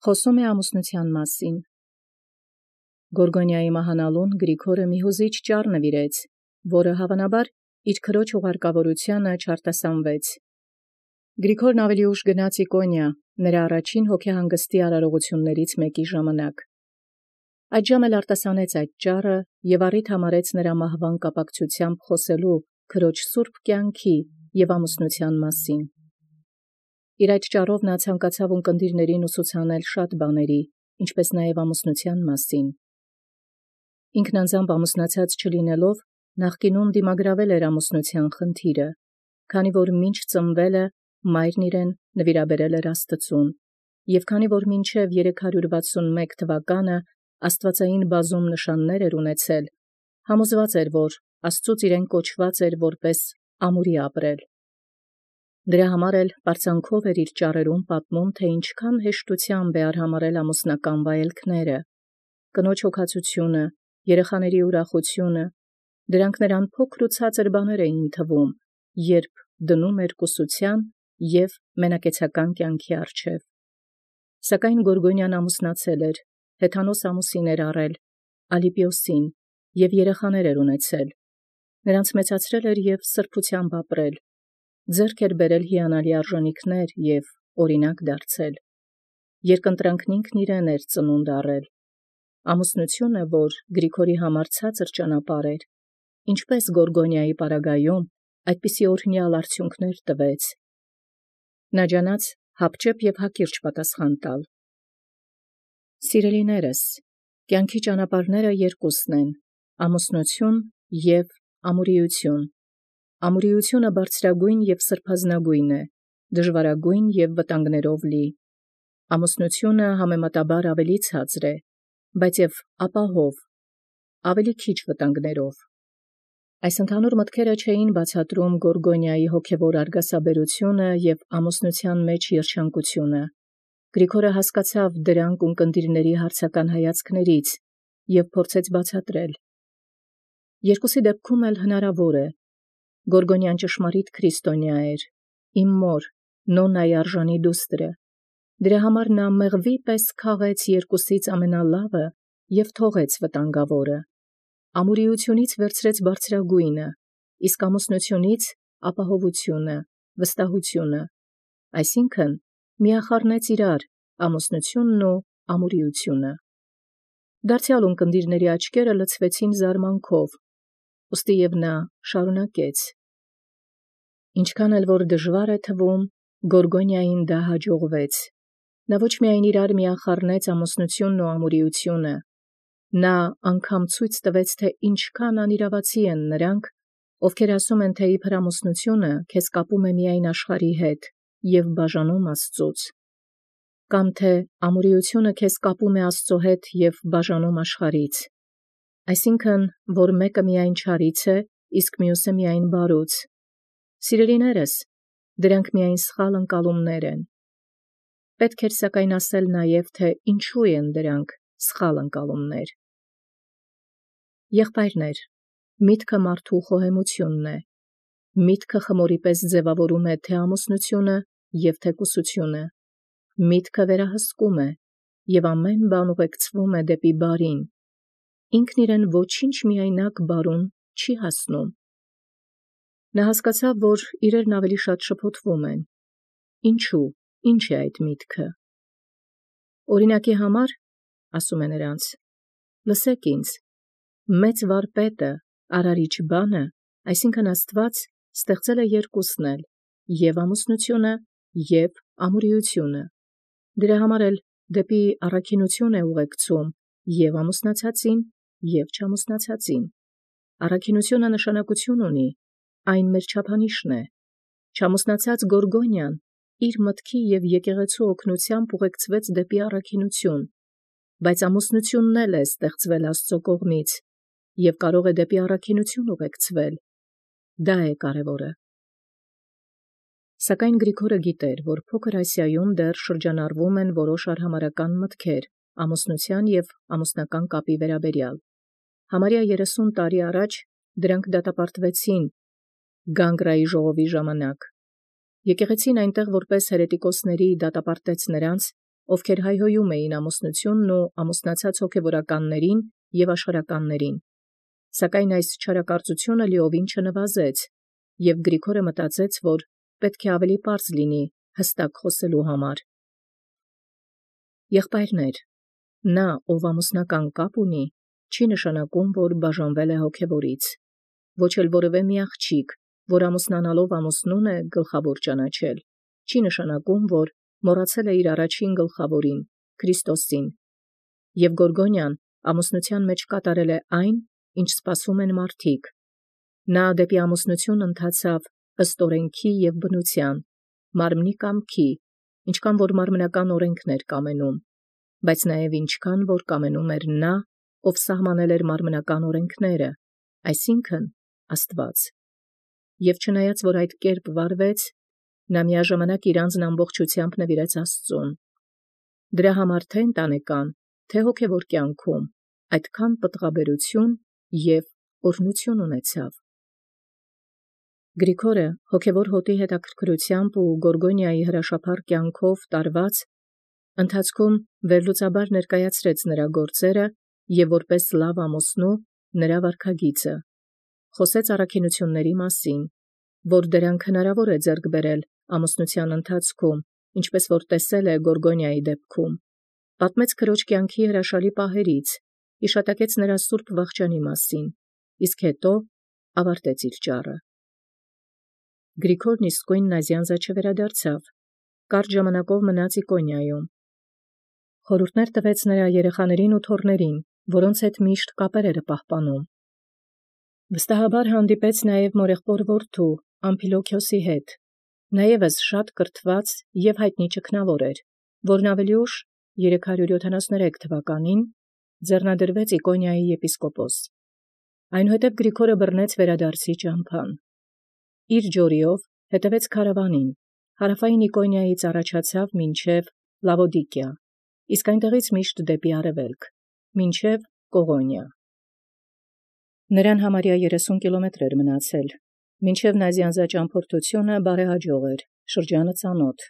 Խոսում է ամուսնութեան մասին։ Գորգոնիայի մահանալուն Գրիգորը մի հուզիչ ճառ նվիրեց, որը հավանաբար իր քրոջ ուղարկավորութեանը չարտասանվեց։ Գրիգորն ավելի ուշ գնաց Իկոնիա, նրա առաջին հոգեհանգստի արարողություններից մեկի ժամանակ։ Այդ ժամ էլ արտասանեց այդ ճառը և առիթ համարեց նրա մահվան կապակցությամբ խոսելու քրոջ սուրբ կյանքի և ամուսնութեան մասին։ Իր այդ ճառով նա ցանկացավ ունկնդիրներին ուսուցանել շատ բաների, ինչպես նաև ամուսնութեան մասին։ Ինքն անձամբ ամուսնացած չլինելով, նախկինում դիմագրավել էր ամուսնութեան խնդիրը, քանի որ մինչ ծնվելը մայրն իրեն նվիրաբերել էր Աստծուն, և քանի որ մինչև 361 թվականը աստվածային բազում նշաններ էր ունեցել, համոզված էր, որ Աստծուց իրեն կոչված էր որպես ամուրի ապրել։ Դրա համար էլ պարծանքով էր իր ճառերում պատմում, թե ինչքան հեշտությամբ է արհամարհել ամուսնական վայելքները, կնոջ հոգացությունը, երեխաների ուրախությունը, դրանք նրան փոքր ու ցածր բաներ էին թվում, երբ դնում էր կուսության և մենակեցական կյանքի առջև։ Սակայն Գորգոնիան ամուսնացել էր, հեթանոս ամուսին էր առել, Ալիպիոսին, և երեխաներ էր ունեցել, նրանց մեծացրել էր և սրբությամբ ապրել, ձեռք էր բերել հիանալի արժանիքներ և օրինակ դարձել։ Երկընտրանքն ինքն իրեն էր ծնունդ առել։ Ամուսնությունը, որ Գրիգորի համար ցածր ճանապարհ էր, ինչպես Գորգոնիայի պարագայում, այդպիսի օրհնյալ արդյունքներ տվեց։ Նա ջանաց հապճեպ և հակիրճ պատասխան տալ։ Սիրելիներս, կյանքի ճանապարհները երկուսն են՝ ամուսնություն և ամուրիություն։ Ամուրիությունը բարձրագույն և սրբազնագույն է, դժվարագույն և վտանգներով լի։ Ամուսնությունը համեմատաբար ավելի ցածր է, բայց և ապահով, ավելի քիչ վտանգներով։ Այս ընդհանուր մտքերը չէին բացատրում Գորգոնիայի հոգևոր արգասաբերությունը և ամուսնութեան մեջ երջանկությունը։ Գրիգորը հասկացավ դրանք ունկնդիրների հարցական հայացքներից և փորձեց բացատրել։ Երկուսի դեպքում էլ հնարավոր է։ Գորգոնիան ճշմարիտ քրիստոնյա էր, իմ մոր, Նոննայի արժանի դուստրը։ Դրա համար նա մեղվի պես քաղեց երկուսից ամենալավը և թողեց վտանգավորը։ Ամուրիությունից վերցրեց բարձրագույնը, իսկ ամուսնությունից ապահովությունը, վստահությունը, այսինքն միախառնեց իրար ամուսնությունն ու ամուրիությունը։ Դարձյալ ունկնդիրների աչքերը լցվեցին զարմանքով, ուստի և նա շարունակեց. Ինչքան էլ որ դժվար է թվում, Գորգոնիային դա հաջողվեց։ Նա ոչ միայն իրար միախառնեց ամուսնությունն ու ամուրիությունը, նա անգամ ցույց տվեց, թե ինչքան անիրավացի են նրանք, ովքեր ասում են, թե իբր ամուսնությունը քեզ կապում է միայն աշխարհի հետ և բաժանում Աստծուց, կամ թե ամուրիությունը քեզ կապում է Աստծո հետ և բաժանում աշխարհից, այսինքն, որ մեկը միայն չարից է, իսկ մյուսը միայն բարուց։ Սիրելիներս, դրանք միայն սխալ ընկալումներ են։ Պետք էր սակայն ասել նաև, թե ինչու են դրանք սխալ ընկալումներ։ Եղբայրներ, միտքը մարդու խոհեմությունն է։ Միտքը խմորի պես ձևավորում է թե ամուսնությունը և թե կուսությունը։ Միտքը վերահսկում է, և ամեն բան ուղեկցվում է դեպի բարին։ Ինքն իրեն ոչինչ միայնակ բարուն չի հասնում։ Նա հասկացավ, որ իրերն ավելի շատ շփոթվում են։ Ինչու, ինչ է այդ միտքը։ Օրինակի համար, ասում է նրանց, լսեք ինձ, մեծ վարպետը, արարիչ բանը, այսինքն Աստված ստեղծել է երկուսն էլ, և ամուսնությունը, և ամուրիությունը։ Դրա համար էլ դեպի առաքինություն է ուղեկցում և ամուսնացածին, և չամուսնացածին։ Առաքինությունը նշանակություն ունի, այն մեր չափանիշն է։ Չամուսնացած Գորգոնիան իր մտքի և եկեղեցու օգնությամբ ուղեկցվեց դեպի առաքինություն, բայց ամուսնությունն էլ է ստեղծվել Աստծո կողմից և կարող է դեպի առաքինություն ուղեկցվել։ Դա է կարևորը։ Սակայն Գրիգորը գիտեր, որ Փոքր Ասիայում դեռ շրջանառվում են որոշ արհամարհական մտքեր ամուսնության և ամուսնական կապի վերաբերյալ։ Համարյա 30 տարի առաջ դրանք դատապարտվեցին Գանգրայի ժողովի ժամանակ։ Եկեղեցին այնտեղ որպես հերետիկոսների դատապարտեց նրանց, ովքեր հայհոյում էին ամուսնութիւնն ու ամուսնացած հոգևորականներին և աշխարհականներին։ Սակայն այս չարակարծութիւնը լիովին չնվազեց, և Գրիգորը մտածեց, որ պետք է ավելի պարզ լինի հստակ խոսելու համար։ Եղբայրներ, նա, ով ամուսնական կապ ունի, չի նշանակում, որ բաժանվել է հոգևորից, ոչ էլ որևէ մի աղջիկ, որ ամուսնանալով ամուսնուն է գլխավոր ճանաչել, չի նշանակում, որ մոռացել է իր առաջին գլխավորին, Քրիստոսին, և Գորգոնյան ամուսնության մեջ կատարել է այն, ինչ սպասում են մարդիկ։ Նա դեպի ամուսնություն ընթացավ ըստ օրենքի և բնության, մարմնի կամքի, ինչքան որ մարմնական օրենքն էր կամենում, բայց նաև ինչքան որ կամենում էր նա, ով սահմանել էր մարմնական օրենքները, այսինքն Աստված։ Եվ չնայած որ այդ կերպ վարվեց, նա միաժամանակ իր անձն ամբողջությամբ նվիրեց Աստծուն։ Դրա համար թե ընտանեկան, թե հոգևոր կյանքում այդքան պտղաբերություն և օրհնություն ունեցավ։ Գրիգորը հոգևոր հոտի հետաքրքրությամբ ու Գորգոնիայի հրաշափառ կյանքով տարված ընթացքում վերլուծաբար ներկայացրեց նրա գործերը և որպես լավ ամուսնու նրա վարքագիծը, խոսեց առաքինությունների մասին, որ դրանք հնարավոր է ձեռք բերել ամուսնության ընթացքում, ինչպես որ տեսել է Գորգոնիայի դեպքում, պատմեց քրոջ կյանքի հրաշալի պահերից, հիշատակեց նրա սուրբ վախճանի մասին, իսկ հետո ավարտեց իր ճառը։ Գրիգորն իսկույն Նազյանզա չվերադարձավ, կարճ ժամանակով մնաց Իկոնիայում։ Խորհուրդներ տվեց նրա երեխաներին ու թոռներին, որոնց հետ միշտ կապեր էր պահպանում։ Վստահաբար հանդիպեց նաև մորեղբոր որդու Ամփիլոքիոսի հետ, նա ևս շատ կրթված և հայտնի ճգնավոր էր, որն ավելի ուշ 373 թվականին ձեռնադրվեց Իկոնիայի եպիսկոպոս։ Այնուհետև Գրիգորը բռնեց վերադարձի ճամփան։ Իր ջորիով հետևեց քարավանին, հարավային Իկոնիայից առաջացավ մինչև Լավոդիկիա, իսկ այնտեղից միշտ դեպի արևելք, մինչև Կողոնիա։ Նրան համարյա 30 կիլոմետր էր մնացել, մինչև Նազյանզա ճամփորդությունը բարեհաջող էր, շրջանը ծանոթ,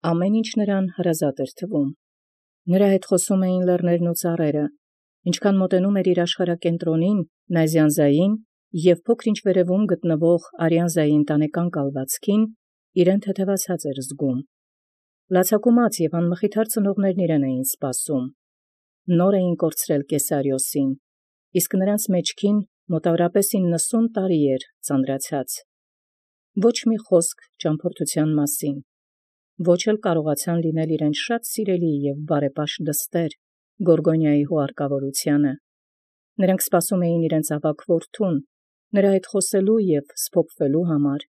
ամեն ինչ նրան հրազատ էր թվում։ Նրա հետ խոսում էին լեռներն ու ծառերը, ինչքան մոտենում էր իր աշխարհակենտրոնին, Նազյանզային և փոքր-ինչ վերևում գտնվող Արիանզայի ընտանեկան կալվածքին, իրեն թեթևացած էր զգում։ Լացակումած և անմխիթար ծնողներն իրեն էին սպասում։ Նոր էին կորցրել Կեսարիոսին, իսկ նրանց մեջքին մոտավորապես 90 տարի էր ծանրացած։ Ոչ մի խոսք ճամփորդության մասին, ոչ էլ կարողացան լինել իրեն շատ սիրելի և բարեպաշտ դստեր Գորգոնիայի հուարկավորությանը։ Նրանք սպասում էին իրենց ավագ որդուն, նրա հետ խոսելու և սփոփվելու համար։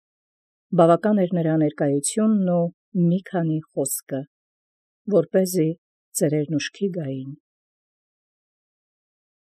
Բավական էր նրա ներկայությունն ու մի քանի խոսքը, որպեսզի ծերերն ուշքի գային։